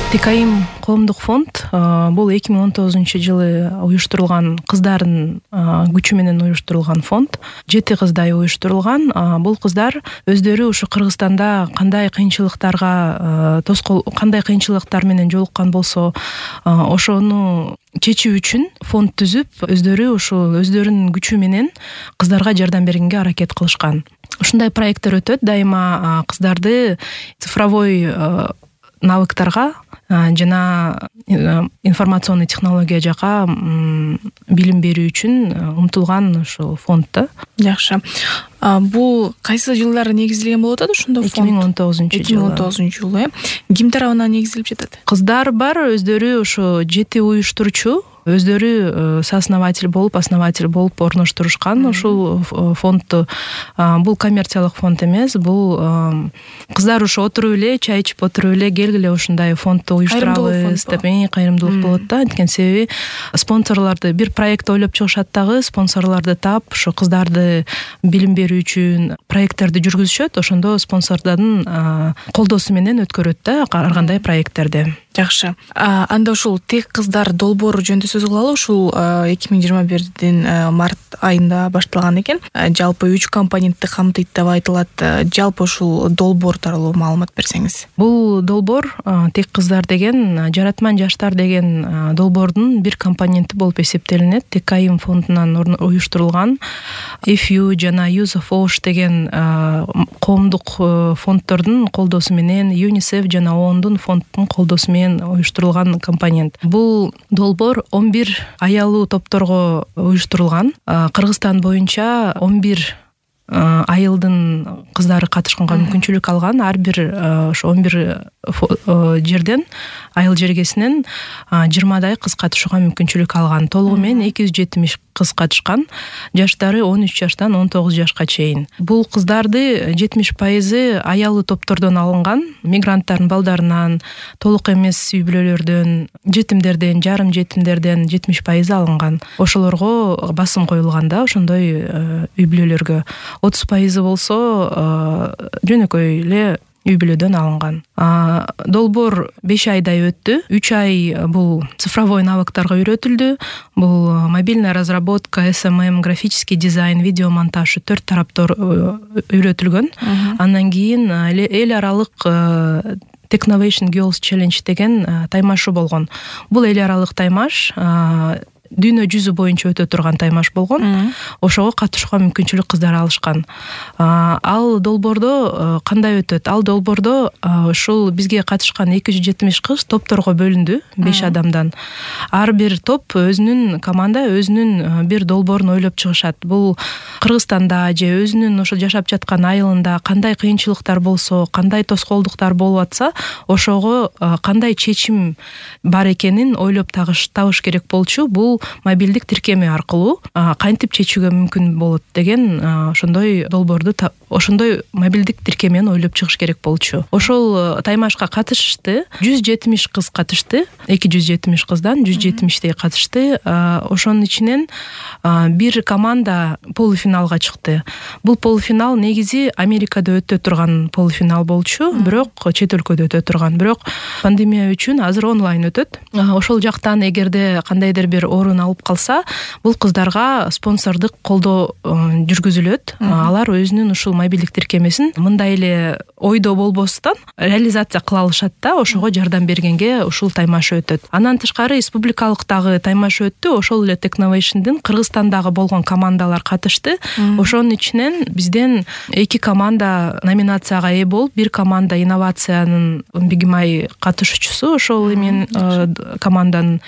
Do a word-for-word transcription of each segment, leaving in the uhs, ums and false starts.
Текайым коомдук фонд бул эки миң он тогузунчу жылы уюштурулган, кыздардын күчү менен уюштурулган фонд. Жети кыздай уюштурулган. Бул кыздар өздөрү ушу Кыргызстанда кандай кыйынчылыктарга тоскоол, кандай кыйынчылыктар менен жолуккан болсо, ошону чечүү үчүн фонд түзүп, өздөрү ушул өздөрүнүн күчү менен кыздарга жардам бергенге аракет кылышкан. Ушундай проекттер өтөт. Дайыма кыздарды цифровой навыктарга жана информационный технология жака билим берүү үчүн умтулган ушул фонд. Жакшы. Бул кайсы жылдары негизделген болуп атат ошондо фонд? эки миң он тогузунчу жылы. эки миң он тогузунчу жылы, э. Ким тарабынан негизделип жатат? Кыздар бар, өздөрү ошо жети уюштуруучу өздөрү сооснователь болуп, основатель болуп орноштурушкан ушул фондду. Бул коммерциялык фонд эмес, бул кыздар ушу отуруп эле, чай ичип отуруп эле келгиле ушундай фондду уюштурабыз деп кайрымдуулук болот да. Анткени себеби спонсорлорду, бир проект ойлоп чыгышат дагы, спонсорлорду таап, ушу кыздарды билим берүү үчүн проекттерди жүргүзүшөт. Ошондо спонсордордун колдоосу менен өткөрөт да ар кандай проекттерди. Жакшы. Анда ушул тек кыздар долбоору жөнүндө сөз кылалы. Ушул эки миң жыйырма бирдин март айында башталган экен. Жалпы үч компонентти камтыйт деп айтылат. Жалпы ушул долбоор тууралуу маалымат берсеңиз. Бул долбоор тек кыздар деген, жаратман жаштар деген долбоордун бир компоненти болуп эсептелинет. Текайым фондунан уюштурулган If You жана Use of Osh деген коомдук фонддордун колдоосу менен, UNICEF жана ООНдун фонддун колдоосу менен уюштурулган компонент. Бул долбоор он бир аялуу топторго уюштурулган. Кыргызстан боюнча он бир айылдын кыздары катышканга мүмкүнчүлүк алган. Ар бир ошо он бир жерден, айыл жергесинен жыйырмадай кыз катышууга мүмкүнчүлүк алган. Толугу менен эки жүз жетимиш кыз катышкан. Жаштары он үч жаштан он тогуз жашка чейин. Бул кыздарды жетимиш пайызы аялуу топтордон алынган, мигранттардын балдарынан, толук эмес үй бүлөлөрдөн, жетимдерден, жарым жетимдерден жетимиш пайызы алынган. Ошолорго басым коюлган да, ошондой үй бүлөлөргө. отуз пайызы болсо жөнөкөй эле үй бүлөдөн алынган. Долбоор беш айдай өттү. үч ай бул цифровой навыктарга үйрөтүлдү. Бул мобильная разработка, эс эм эм, графический дизайн, видеомонтаж төрт тараптар үйрөтүлгөн. Андан кийин эл аралык Technovation Girls Challenge деген таймашы болгон. Бул эл аралык таймаш дүйнө жүзү боюнча өтө турган таймаш болгон. Ошого катышууга мүмкүнчүлүк кыздар алышкан. Ал долбоордо кандай өтөт? Ал долбоордо ушул бизге катышкан эки жүз жетимиш кыз топторго бөлүндү, беш адамдан. Ар бир топ өзүнүн команда өзүнүн бир долбоорун ойлоп чыгышат. Бул Кыргызстанда же өзүнүн ошо жашап жаткан айылында кандай кыйынчылыктар болсо, кандай тоскоолдуктар болуп атса, ошого кандай чечим бар экенин ойлоп табыш керек болчу. Бул мобилдик тиркеме аркылуу кантип чечүүгө мүмкүн болот деген ошондой долбоорду, ошондой мобилдик тиркемени ойлоп чыгыш керек болчу. Ошол таймашка катышты, жүз жетимиш кыз катышты. эки жүз жетимиш кыздан жүз жетимиштей катышты. Ошонун ичинен бир команда полуфиналга чыкты. Бул полуфинал негизи Америкада өтө турган полуфинал болчу, бирок чет өлкөдө өтө турган. Бирок пандемия үчүн азыр онлайн өтөт. Ошол жактан эгерде кандайдыр бир орун алып калса, бул кыздарга спонсордук колдоо жүргүзүлөт. Алар өзүнүн ушул мобилдик тиркемесин мындай эле ойдо болбостон реализация кыла алышат да, ошого жардам бергенге ушул таймаш өтөт. Андан тышкары республикалык дагы таймаш өттү. Ошол эле Technovation'дын Кыргызстандагы болгон командалар катышты. Ошонун ичинен бизден эки команда номинацияга ээ болуп, бир команда инновациянын бигимай катышуучусу ошол эмен команданын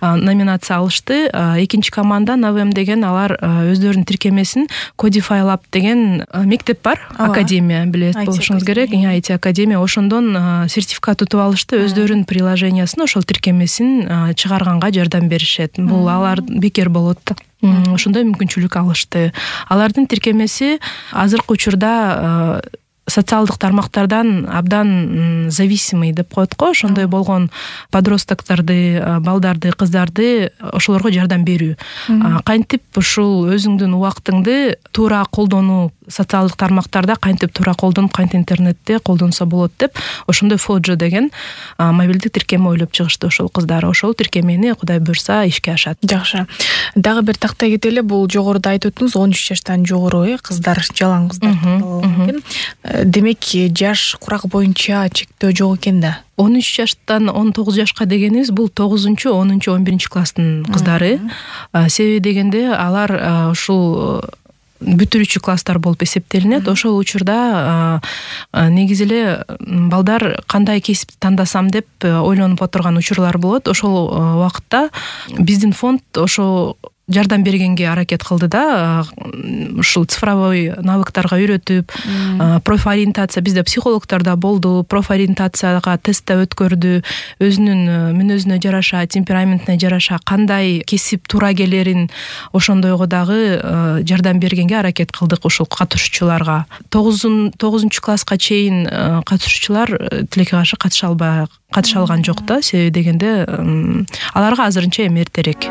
номинация алышты. Экинчи команда Навем деген, алар өздөрүнүн тиркемесин Codify Lab деген мектеп бар, академия, билет болушуңуз керек. ай ти академия, ошондон сертификат утуп алышты. Өздөрүнүн приложениясын, ошол тиркемесин чыгарганга жардам беришет. Бул алар бекер болот. Ошондой мүмкүнчүлүк алышты. Алардын тиркемеси азыркы учурда социалдык тармактардан абдан зависимый деп коет го. Ошондой болгон подростоктарды, балдарды, кыздарды ошолорго жардам берүү. Кантип ушул өзүңдүн убактыңды туура колдонуу социалдык тармактарда кантип туура колдонуп, кантип интернетте колдонсо болот деп ошондой фоджо деген мобилдик тиркеме ойлоп чыгышты ошол кыздар. Ошол тиркемени Кудай буйрса ишке ашат. Жакшы. Дагы бир тактай кетели, бул жогоруда айтып өттүңүз он үч жаштан жогору э кыздар, жалаң кыздар экен. Демек жаш курак боюнча чектөө жок экен да. он үч жаштан он тогуз жашка дегенибиз бул тогузунчу, онунчу, он биринчи класстын кыздары. Себеби дегенде алар ушул бүтүрүүчү класстар болуп эсептелинет. Ошол учурда негизи эле балдар кандай кесип тандасам деп ойлонуп отурган учурлар болот. Ошол убакытта биздин фонд ошо жардам бергенге аракет кылды да, ушул цифровой навыктарга үйрөтүп, профориентация, бизде психологдор да болду, профориентацияга тесттеп өткөрдү, өзүнүн мүнөзүнө жараша, темпераментине жараша кандай кесип туура келерин ошондойго дагы жардам бергенге аракет кылдык ушул катышуучуларга. тогузунчу класска чейин катышуучулар тилекке каршы катыша албай катыша алган жок да, себеби дегенде аларга азырынча эми эртерээк.